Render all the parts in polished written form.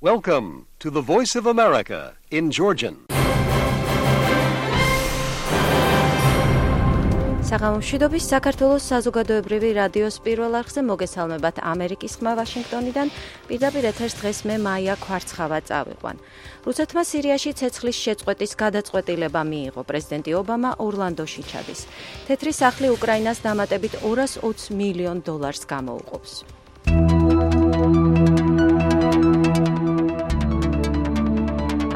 Welcome to the Voice of America in Georgian. საღამომშვიდობის საქართველოს საზოგადოებრივი რადიოს პირველ არხზე მოგესალმებათ ამერიკის ხმა ვაშინგტონიდან. პირდაპირ ეთერს დღეს მე მაია ქვარცხავა წავიყვან. რუსეთმა სირიაში ცეცხლის შეწყვეტის გადაწყვეტილება მიიღო. პრეზიდენტი ობამა ორლანდოში ჩადის. თეთრი სახლი უკრაინას დამატებით $220 მილიონ გამოუყოფს.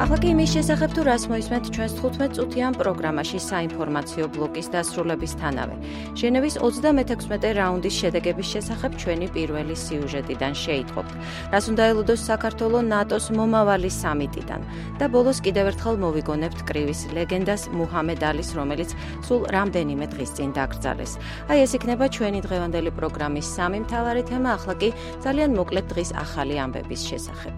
ახლა კი იმის შესახებ თუ რას მოისმენთ ჩვენს 15 წუთიან პროგრამაში საინფორმაციო ბლოკის დასრულებისთანავე. ჟენევის 36 რაუნდის შედეგების შესახებ ჩვენი პირველი სიუჟეტიდან შეიტყობთ. რას უნდა ელოდოს საქართველოს ნატოს მომავალი სამიტიდან და ბოლოს კიდევ ერთხელ მოვიგონებთ კრივის ლეგენდას მუჰამედ ალის, რომელიც სულ რამდენიმე დღის წინ დაკრძალეს. აი ეს იქნება ჩვენი დღევანდელი პროგრამის სამი მთავარი თემა, ახლა კი ძალიან მოკლედ დღის ახალი ამბების შესახებ.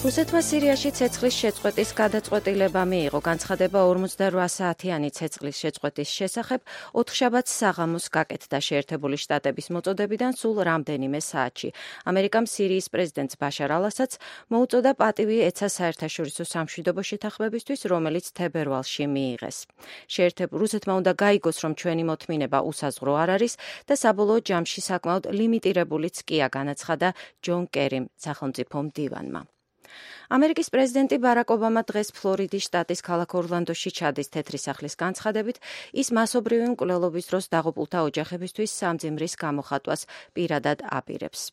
რუსეთმა სირიაში ცეცხლის შეწყვეტის გადაწყვეტილება მიიღო. განცხადება 48 საათიანი ცეცხლის შეწყვეტის შესახებ ოთხშაბათს საღამოს გაკეთდა შეერთებული შტატების მოწოდებიდან სულ რამდენიმე საათში. ამერიკამ სირიის პრეზიდენტს ბაშარ ალ-ასადს მოუწოდა პატივი ეცა საერთაშორისო სამშვიდობო შეთანხმებისთვის, რომელიც თებერვალში მიიღეს. რუსეთმა უნდა გაიგოს, რომ ჩვენი მოთმინება უსაზღვრო არ არის და საბოლოო ჯამში საკმაოდ ლიმიტირებულიც კია, განაცხადა ჯონ კერიმ, სახელმწიფო მდივანმა. ამერიკის პრეზიდენტი ბარაკ ობამა დღეს ფლორიდის შტატის ქალაქ ორლანდოში ჩადის. თეთრი სახლის განცხადებით, ის მასობრივი მკვლელობის დროს დაღუპულთა ოჯახებისთვის სამძიმრის გამოხატვას პირადად აპირებს.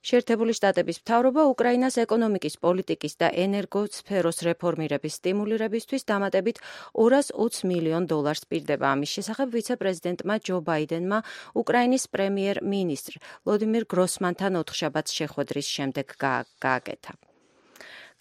შეერთებული შტატების მთავრობა უკრაინას ეკონომიკის, პოლიტიკის და ენერგოსფეროს რეფორმირების სტიმულირებისთვის დამატებით $220 მილიონ პირდება. ამის შესახებ ვიცე-პრეზიდენტმა ჯო ბაიდენმა უკრაინის პრემიერ-მინისტრ ვლოდიმირ გროსმანთან ოთხშაბათს შეხვედრის შემდეგ გააკეთა.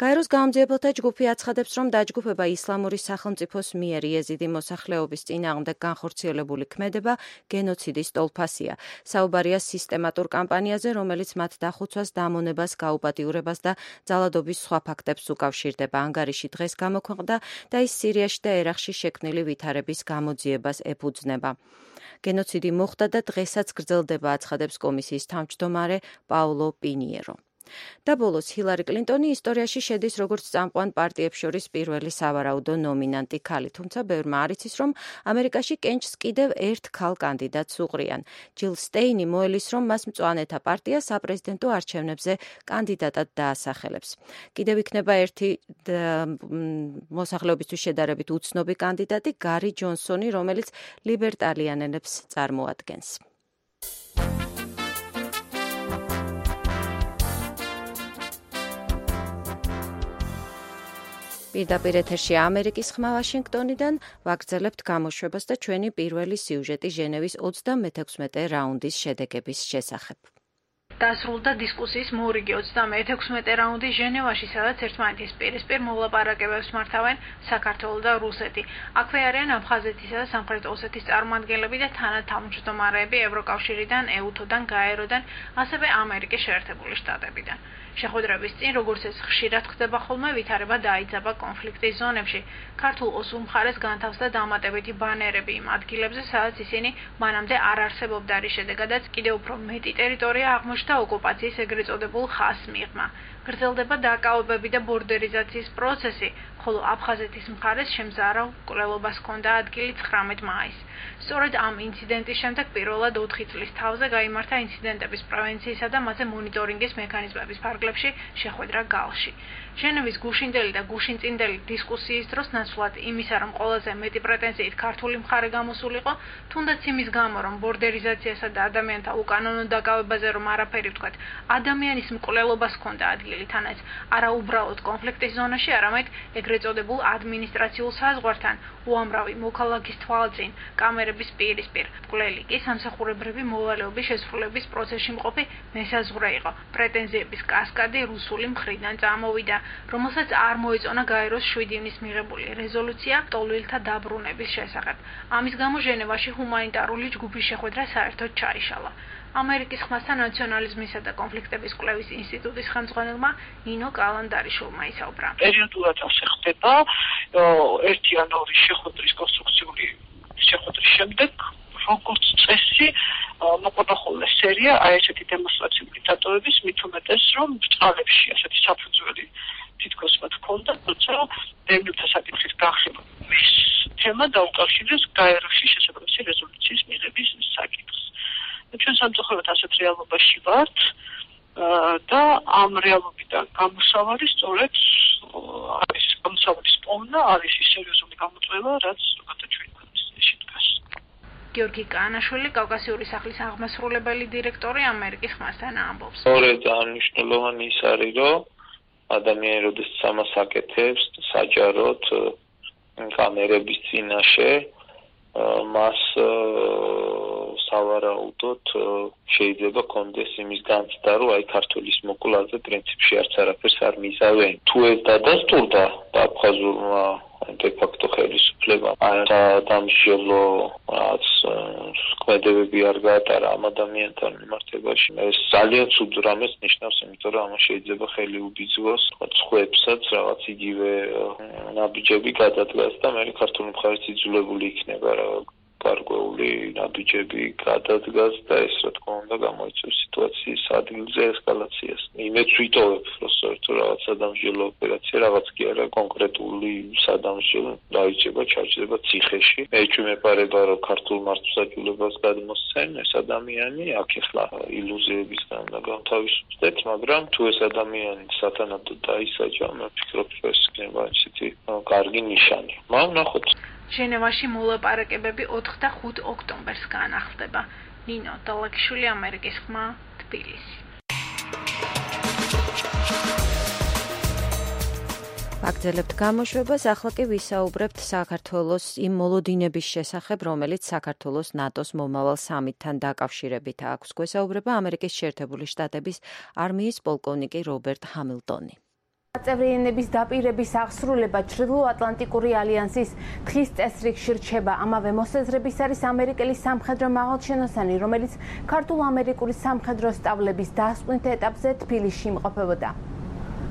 გაეროს გამომძიებელთა ჯგუფი აცხადებს, რომ დაჯგუფება ისლამური სახელმწიფოს მიერ იეზიდი მოსახლეობის წინააღმდეგ განხორციელებული ქმედება გენოციდის ტოლფასია. საუბარია სისტემატურ კამპანიაზე, რომელიც მათ დახუცვას, დამონებას, გაუპატიურებას და ძალადობის სხვა ფაქტებს უკავშირდება. ანგარიში დღეს გამოქვეყნდა და ის სირიაში და ერაყში შექმნილი ვითარების გამოძიებას ეფუძნება. გენოციდი მოხდა და დღესაც გრძელდება, აცხადებს კომისიის თავმჯდომარე პაულო პინიერო. და ბოლოს ჰილარი კლინტონი ისტორიაში შედის როგორც წამყვან პარტიებს შორის პირველი სავარაუდო ნომინანტი ქალი, თუმცა ბევრმა არ იცის, რომ ამერიკაში კენჭს კიდევ ერთ ქალ კანდიდატს უყრიან. ჯილ სტეინი მოელის, რომ მას მწვანეთა პარტია საპრეზიდენტო არჩევნებზე კანდიდატად დაასახელებს. კიდევ იქნება ერთი მოსახლეობისთვის შედარებით უცნობი კანდიდატი, გარი ჯონსონი, რომელიც ლიბერტარიანელებს წარმოადგენს. პირდაპირ ეთერში ამერიკის ხმა ვაშინგტონიდან ვაგრძელებთ გამოშვებას და ჩვენი პირველი სიუჟეტი ჟენევის 36 რაუნდის შედეგების შესახებ. დასრულდა დისკუსიის მორიგი 36 რაუნდი ჟენევაში, სადაც ერთმანეთის პირისპირ მოლაპარაკებებს მართავენ საქართველო და რუსეთი. აქვე არიან აფხაზეთისა და სამხრეთ ოსეთის წარმომადგენლები და თანათავმჯდომარეები ევროკავშირიდან, ეუთოდან, გაეროდან, ასევე ამერიკის შეერთებული შტატებიდან. შეხვედრების წინ, როგორც ეს ხშირად ხდება ხოლმე, ვითარება დაიძაბა კონფლიქტის ზონებში. ქართულ ოსურ მხარეს განთავსდა დამატებითი ბანერები იმ ადგილებზე, სადაც ისინი მანამდე არ არსებობდა, რის შედეგადაც კიდევ უფრო მეტი ტერიტორია აღმოჩნდა ოკუპაციის ეგრეთ წოდებულ ხაზს მიღმა. გრძელდება დაკავებები და ბორდერიზაციის პროცესი, ხოლო აფხაზეთის მხარეს შემზარავ მკვლელობას ჰქონდა ადგილი 19 მაისს. სწორედ ამ ინციდენტის შემდეგ პირველად 4 წლის თავზე გაიმართა ინციდენტების პრევენციისა და მათზე მონიტორინგის მექანიზმების ფარგლებში შეხვედრა გალში. ჟენევის გუშინდელი და გუშინწინდელი დისკუსიის დროს ნაცვლად იმისა, რომ ყველაზე მეტი პრეტენზიით ქართული მხარე გამოსულიყო, თუნდაც იმის გამო, რომ ბორდერიზაციასა და ადამიანთა უკანონო დაკავებაზე რომ არაფერი ვთქვათ, ადამიანის მკვლელობას ჰქონდა ადგილი, თანაც არა უბრალოდ კონფლიქტის ზონაში, არამედ ეგრეთ წოდებულ ადმინისტრაციულ საზღვართან, უამრავი მოქალაქის თვალწინ, კამერების პირისპირ. მკვლელი კი სამსახურებრივი მოვალეობის შესრულების პროცესში მყოფი მესაზღვრე იყო. პრეტენზიების კასკადი რუსული მხრიდან წამოვიდა, რომელსაც არ მოეწონა გაეროს 7 ივნის მიღებული რეზოლუცია ტოლვილთა დაბრუნების შესახებ. ამის გამო ჟენევაში ჰუმანიტარული ჯგუფის შეხვედრა საერთოდ ჩაიშალა. ამერიკის ხმასთან ნაციონალიზმისა და კონფლიქტების კვლევის ინსტიტუტის ხელმძღვანელმა ნინო კალანდარიშვილმა ისაუბრა. პერიოდულად ასე ხდება ერთი ან ორი შეხვედრის კონსტრუქციული შეხვედრის შემდეგ როგორც წესი მოყოლხოლე სერია აი ესეთი დემონსტრაციული დატოვების მით უმეტეს რომ ბრწყალებში ასეთი საფუძველი თითქოს მათ ჰქონდა, თუმცა დევნილთა საკითხის გახსნა ეს თემა დაუკავშირეს გაეროში შესაბამისი რეზოლუციის მიღების საკითხს. ჩვენ სამწუხაროდ ასეთ რეალობაში ვართ და ამ რეალობიდან გამოსავალი სწორედ არის გამოსავლის პოვნა, არის ის სერიოზული გამოწვევა, რაც ჩვენ ქვეყნის შედგას. გიორგი კანაშვილი, კავკასიური სახლის აღმასრულებელი დირექტორი ამერიკის ხმასთან ამბობს. სწორედ მნიშვნელოვანი ის არის, რომ ადამიანი როდესაც ამას აკეთებს, საჯაროდ კამერების წინაშე მას სავარაუდოდ შეიძლება კონდეს იმის განცდა, რომ აი ქართულის მოკვლაზე პრინციპში არც არაფერს არ მიზავენ. თუ ეს დადასტურდა აფხაზურმა დე-ფაქტო ხელისუფლებამ დამსჯელო რაც ქმედებები არ გაატარა ამ ადამიანთან მიმართებაში, ეს ძალიან ცუდ რამეს ნიშნავს, იმიტომ რომ ამას შეიძლება ხელი უბიძგოს სხვებსაც რაღაც იგივე ნაბიჯები გადადგას და მე ქართული მხარეს იძულებული იქნება რა გარკვეული ნაბიჯები გადადგას და ეს რა თქმა უნდა გამოიწვევს სიტუაციის ადგილზე ესკალაციას. იმედს ვიტოვებ, რომ სწორედ რაღაც სადამსჯელო ოპერაცია, რაღაც კი არა კონკრეტული სადამსჯელო დაიჭება, ჩარჩება ციხეში. მე ვიმეპარება, რომ ქართულ მართლმსაჯულებას გადმოსცენ ეს ადამიანი, აქ ახლა ილუზიებისგან და განთავისუფლდეთ, მაგრამ თუ ეს ადამიანი სათანადოდ დაისაჯა, მე ვფიქრობ, რომ ეს იქნება ისეთი კარგი ნიშანი. ვნახოთ. ჟენევაში მოლაპარაკებები 4 და 5 ოქტომბერს განახლდება. ნინო დალაგიშვილი, ამერიკის ხმა, თბილისი. ვაგრძელებთ გამოშვებას, ახლა კი ვისაუბრებთ საქართველოს იმ მოლოდინების შესახებ, რომელიც საქართველოს ნატოს მომავალ სამიტთან დაკავშირებით აქვს. გვესაუბრება ამერიკის შეერთებული შტატების არმიის პოლკოვნიკი რობერტ ჰამილტონი. წევრიანების დაპირების აღსრულება ჩრდილოატლანტიკური ალიანსის თხის წესრიგში რჩება. ამავე მოსაზრების არის ამერიკელი სამხედრო მაღალჩინოსანი, რომელიც ქართულ-ამერიკული სამხედრო სწავლების დასკვნით ეტაპზე თბილისში იმყოფებოდა.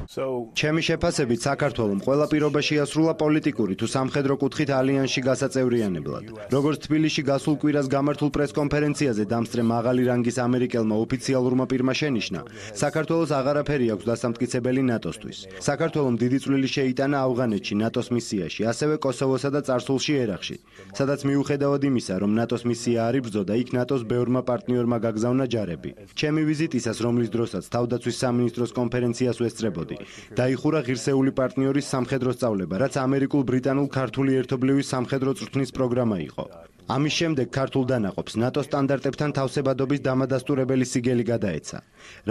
ჩემი შეფასებით საქართველოს ყველა პირობაში ასრულა პოლიტიკური თუ სამხედრო კუთხით ალიანსში გასაწევრიანებლად. როგორც თბილისში გასულ კვირას გამართულ პრესკონფერენციაზე დამსწრე მაღალი რანგის ამერიკელმა ოფიციალურმა პირმა შენიშნა, საქართველოს აღარაფერი აქვს დასამტკიცებელი ნატოსთვის. საქართველოს დიდი წვლილი შეიტანა ავღანეთში ნატოს მისიაში, ასევე კოსოვოსა და წარსულში ერაყში, სადაც მიუხედავად იმისა, რომ ნატოს მისია არ იბრძოდა, იქ ნატოს ბევრმა პარტნიორმა გაგზავნა ჯარები. ჩემი ვიზიტისას, რომლის დროსაც თავდაცვის სამინისტროს კონფერენციას ვესწრებოდი, დაიხურა ღირსეული პარტნიორის სამხედრო სწავლება, რაც ამერიკულ-ბრიტანულ-ქართული ერთობლივი სამხედრო წვრთნის პროგრამა იყო. ამის შემდეგ ქართულ დანაყოფს ნატოს სტანდარტებთან თავსებადობის დამადასტურებელი სიგელი გადაეცა,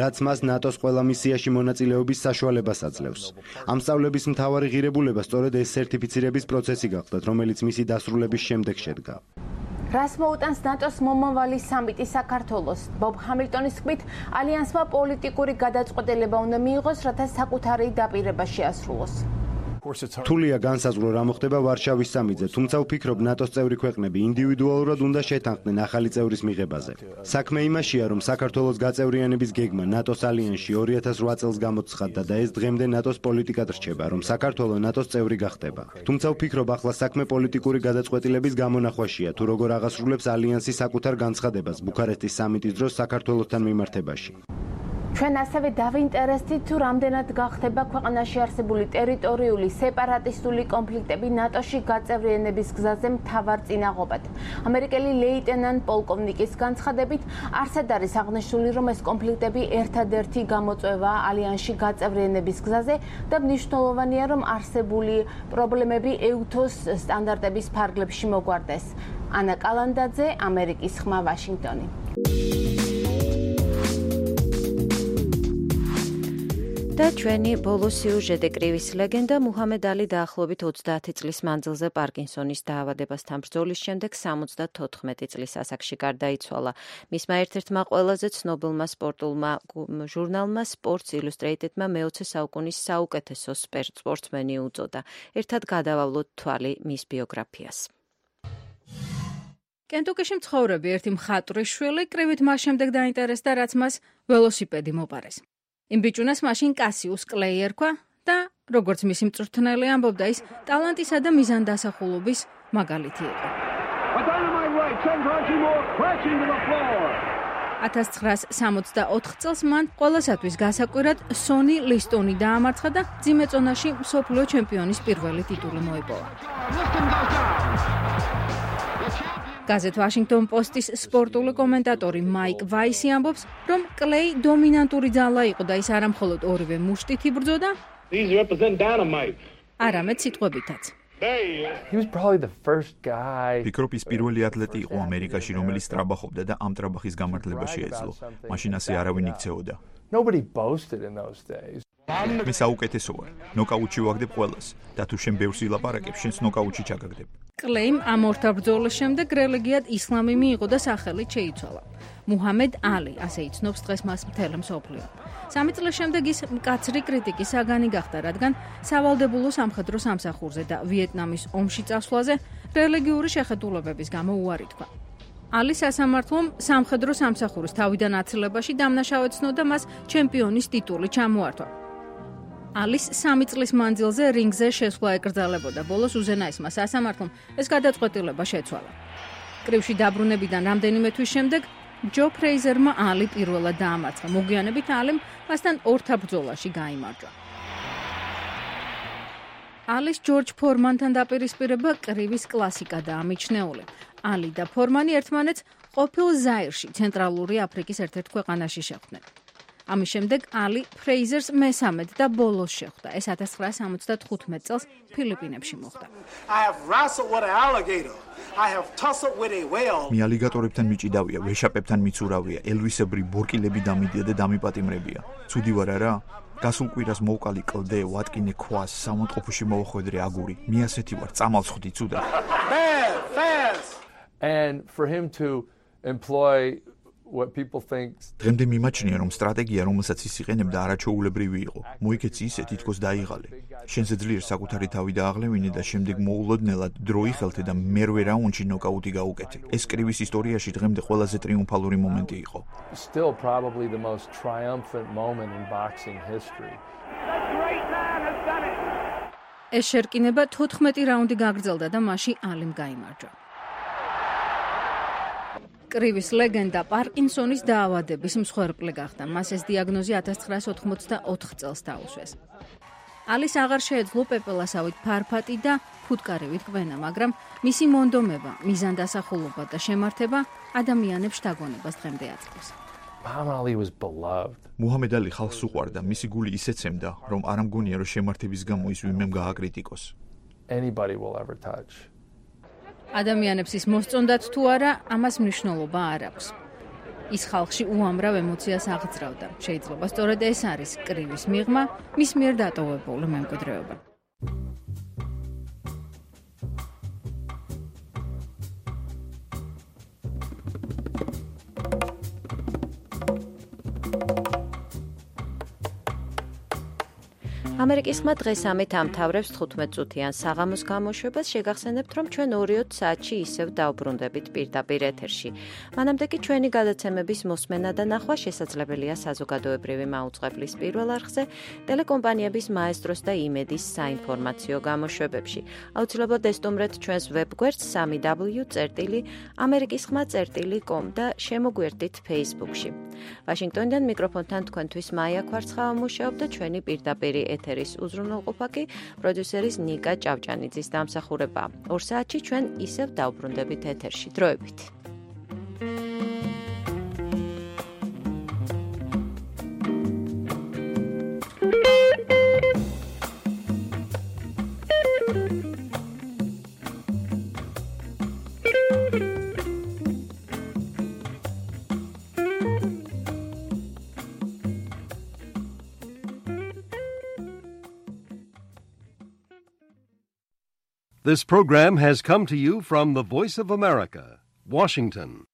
რაც მას ნატოს ყველა მისიაში მონაწილეობის საშუალებას აძლევს. ამ სწავლების მთავარი ღირებულება სწორედ ეს სერტიფიცირების პროცესი გახლდათ, რომელიც მისი დასრულების შემდეგ შედგა. რას მოუტანს ნატოს მომავალი სამიტი საქართველოს? ბობ ჰამილტონის თქმით, ალიანსმა პოლიტიკური გადაწყვეტილება უნდა მიიღოს, რათა საკუთარი დაპირება შეასრულოს. რთულია განსაზღვრო რა მოხდება ვარშავის სამიტზე, თუმცა ვფიქრობ ნატოს წევრი ქვეყნები ინდივიდუალურად უნდა შეთანხმდნენ ახალი წევრის მიღებაზე. საქმე იმაშია, რომ საქართველოს გაწევრიანების გეგმა ნატოს ალიანსში 2008 წელს გამოცხადდა და ეს დღემდე ნატოს პოლიტიკად რჩება, რომ საქართველოს ნატოს წევრი გახდება. თუმცა ვფიქრობ ახლა საქმე პოლიტიკური გადაწყვეტილების გამონახვაშია, თუ როგორ აღასრულებს ალიანსი საკუთარ განცხადებას ბუქარესტის სამიტის დროს საქართველოსთან მიმართებაში. ჩვენ ასევე დავინტერესდით, თუ რამდენად გახდება ქვეყანაში არსებული ტერიტორიული სეპარატისტული კონფლიქტები ნატოში გაწევრიანების გზაზე მთავარ წინაღობად. ამერიკელი ლეიტენანტ პოლკოვნიკის განცხადებით, არსად არის აღნიშნული, რომ ეს კონფლიქტები ერთადერთი გამოწვევა ალიანსში გაწევრიანების გზაზე და მნიშვნელოვანია, რომ არსებული პრობლემები EUTOS სტანდარტების ფარგლებში მოგვარდეს. ანა კალანდაძე, ამერიკის ხმა, ვაშინგტონი. და ჩვენი ბოლო სიუჟეტი კრივის ლეგენდა მუჰამედ ალი დაახლოებით 30 წლის მანძილზე პარკინსონის დაავადებასთან ბრძოლის შემდეგ 74 წლის ასაკში გარდაიცვალა. მისმა ერთ-ერთმა ყველაზე ცნობილმა სპორტულმა ჟურნალმა Sports Illustrated-მა მე-20 საუკუნის საუკეთესო სპორტსმენი უწოდა. ერთად გადავავლოთ თვალი მის ბიოგრაფიას. კენტუკიში მცხოვრები ერთი მხატვრის შვილი კრივით მას შემდეგ დაინტერესდა, რაც მას ველოსიპედი მოპარეს. იმ ბიჭუნას მაშინ კასიუს კლეი ერქვა და როგორც მისი მწვრთნელი ამბობდა, ის ტალანტისა და მიზანდასახულობის მაგალითი იყო. right, sends Archie Moore crashing to the floor. 1964 წელს მან ყველასათვის გასაკვირად სონი ლისტონი დაამარცხა და მძიმე წონაში მსოფლიო ჩემპიონის პირველი ტიტული მოიპოვა. გაზეთ Washington Post-ის სპორტული კომენტატორი მაიკ ვაისი ამბობს, რომ კლეი დომინანტური ძალა იყო და ის არა მხოლოდ ორივე მუშტით იბრძოდა, არამედ სიტყვებითაც. He was probably the first guy. ფიქრობ ის პირველი ათლეტი იყო ამერიკაში, რომელიც ტრაბახობდა და ამ ტრაბახის გამართლება შეეძლო. მაშინ ასე არავინ იქცეოდა. Nobody boasted in those days. მე საუკეთესო ვარ. ნოკაუტში ვაგდებ ყველას და თუ შენ ბევრს ილაპარაკებ, შენს ნოკაუტში ჩაგაგდებ. კლეიმ ამ ორთა ბრძოლის შემდეგ რელიგიად ისლამი მიიღო და სახელით შეიცვალა. მუჰამედ ალი, ასე იცნობს დღეს მას მთელი მსოფლიო. 3 წლის შემდეგ ის მკაცრი კრიტიკის საგანი გახდა, რადგან სავალდებულო სამხედრო სამსახურზე და ვიეტნამის ომში წასვლაზე რელიგიური შეხედულებების გამო უარი თქვა. ალი სასამართლომ სამხედრო სამსახურის თავიდან აცილებაში დამნაშავედ ცნოდა მას ჩემპიონის ტიტული ჩამოართვა. ალის 3 წლის მანძილზე რინგზე შესვლა ეკრძალებოდა. ბოლოს უზენაესმა სასამართლომ ეს გადაწყვეტილება შეცვალა. კრივში დაბრუნებიდან რამდენიმე თვის შემდეგ ჯო ფრეიზერმა ალი პირველად დაამარცხა. მოგვიანებით ალიმ მასთან ორთა ბრძოლაში გაიმარჯვა. ალის ჯორჯ ფორმანთან დაპირისპირება კრივის კლასიკადაა მიჩნეული. ალი და ფორმანი ერთმანეთს ყოფილ ზაირში, ცენტრალური აფრიკის ერთ-ერთ ქვეყანაში შეხვდნენ. ამის შემდეგ ალი ფრეიზერს მესამედ და ბოლოს შეხვდა. ეს 1975 წელს ფილიპინებში მოხდა. მე ალიგატორებთან მიჭიდავია, ვეშაპებთან მიცურავია, ელვისებრი ბორკილები დამიდია და დამიპატიმრებია. ცუდი ვარ არა? გასულ კვირას მოვყალი კლდე, ვატკინე ქვას, სამონტყოფოში მოვახვედრე აგური. მე ასეთი ვარ, წამალს ხვდი ცუდა. And for him to employ what people think დღემდე მიმაჩნია, რომ სტრატეგია, რომელსაც ის იყენებდა, არაჩვეულებრივი იყო. მოიქეცი ისე, თითქოს დაიღალე. შენზე ძლიერ საკუთარი თავი დააღლევინე და შემდეგ მოულოდნელად დრო იხელთე და მერვე რაუნდში ნოკაუტი გაუკეთე. ეს კრივის ისტორიაში დღემდე ყველაზე ტრიუმფალური მომენტი იყო. Still probably the most triumphant moment in boxing history. ეს შერკინება 14 რაუნდი გაგრძელდა და მასში ალიმ გაიმარჯვა. კრივის ლეგენდა პარკინსონის დაავადების მსხვერპლი გახდა. მას ეს დიაგნოზი 1984 წელს დაუსვეს. ალის აღარ შეეძლო პეპელასავით ფარფატი და ფუტკარივით კვენა, მაგრამ მისი მონდომება, მიზანდასახულობა და შემართება ადამიანებს შთაგონებას დღემდე აწყობს. Muhammad Ali was beloved. მუჰამედ ალი ხალხს უყვარდა, მისი გული ისეთ ემდა, რომ არ ამგონია, რომ შემართების გამო ის ვინმემ გააკრიტიკოს. Anybody will ever touch. ადამიანებს ის მოსწონდათ თუ არა, ამას მნიშვნელობა არ აქვს. ის ხალხში უამრავ ემოციას აღძრავდა. შეიძლება სწორედ ეს არის კრივის მიღმა, მის მიერ დატოვებული მემკვიდრეობა. ამერიკის ხმა დღეს ამით ამთავრებს 15 წუთიან საღამოს გამოშვებას. შეგახსენებთ, რომ ჩვენ 2-3 საათში ისევ დავბრუნდებით პირდაპირ ეთერში. მანამდე კი ჩვენი გადაცემების მოსმენა და ნახვა შესაძლებელია საზოგადოებრივი მაუწყებლის პირველ არხზე, ტელეკომპანიების მაესტროს და იმედის საინფორმაციო გამოშვებებში. აუცილებლად ესტუმრეთ ჩვენს ვებგვერდს 3w.amerikisxma.com და შემოგვერდით Facebook-ში. ვაშინგტონიდან მიკროფონთან თქვენთვის მაია კვარცხავა მუშაობდა. ჩვენი პირდაპირი ეთერის უზრუნველყოფა კი პროდიუსერის ნიკა ჭავჭანიძის დამსახურება. 2 საათში ჩვენ ისევ დავბრუნდებით ეთერში. დროებით. This program has come to you from the Voice of America, Washington.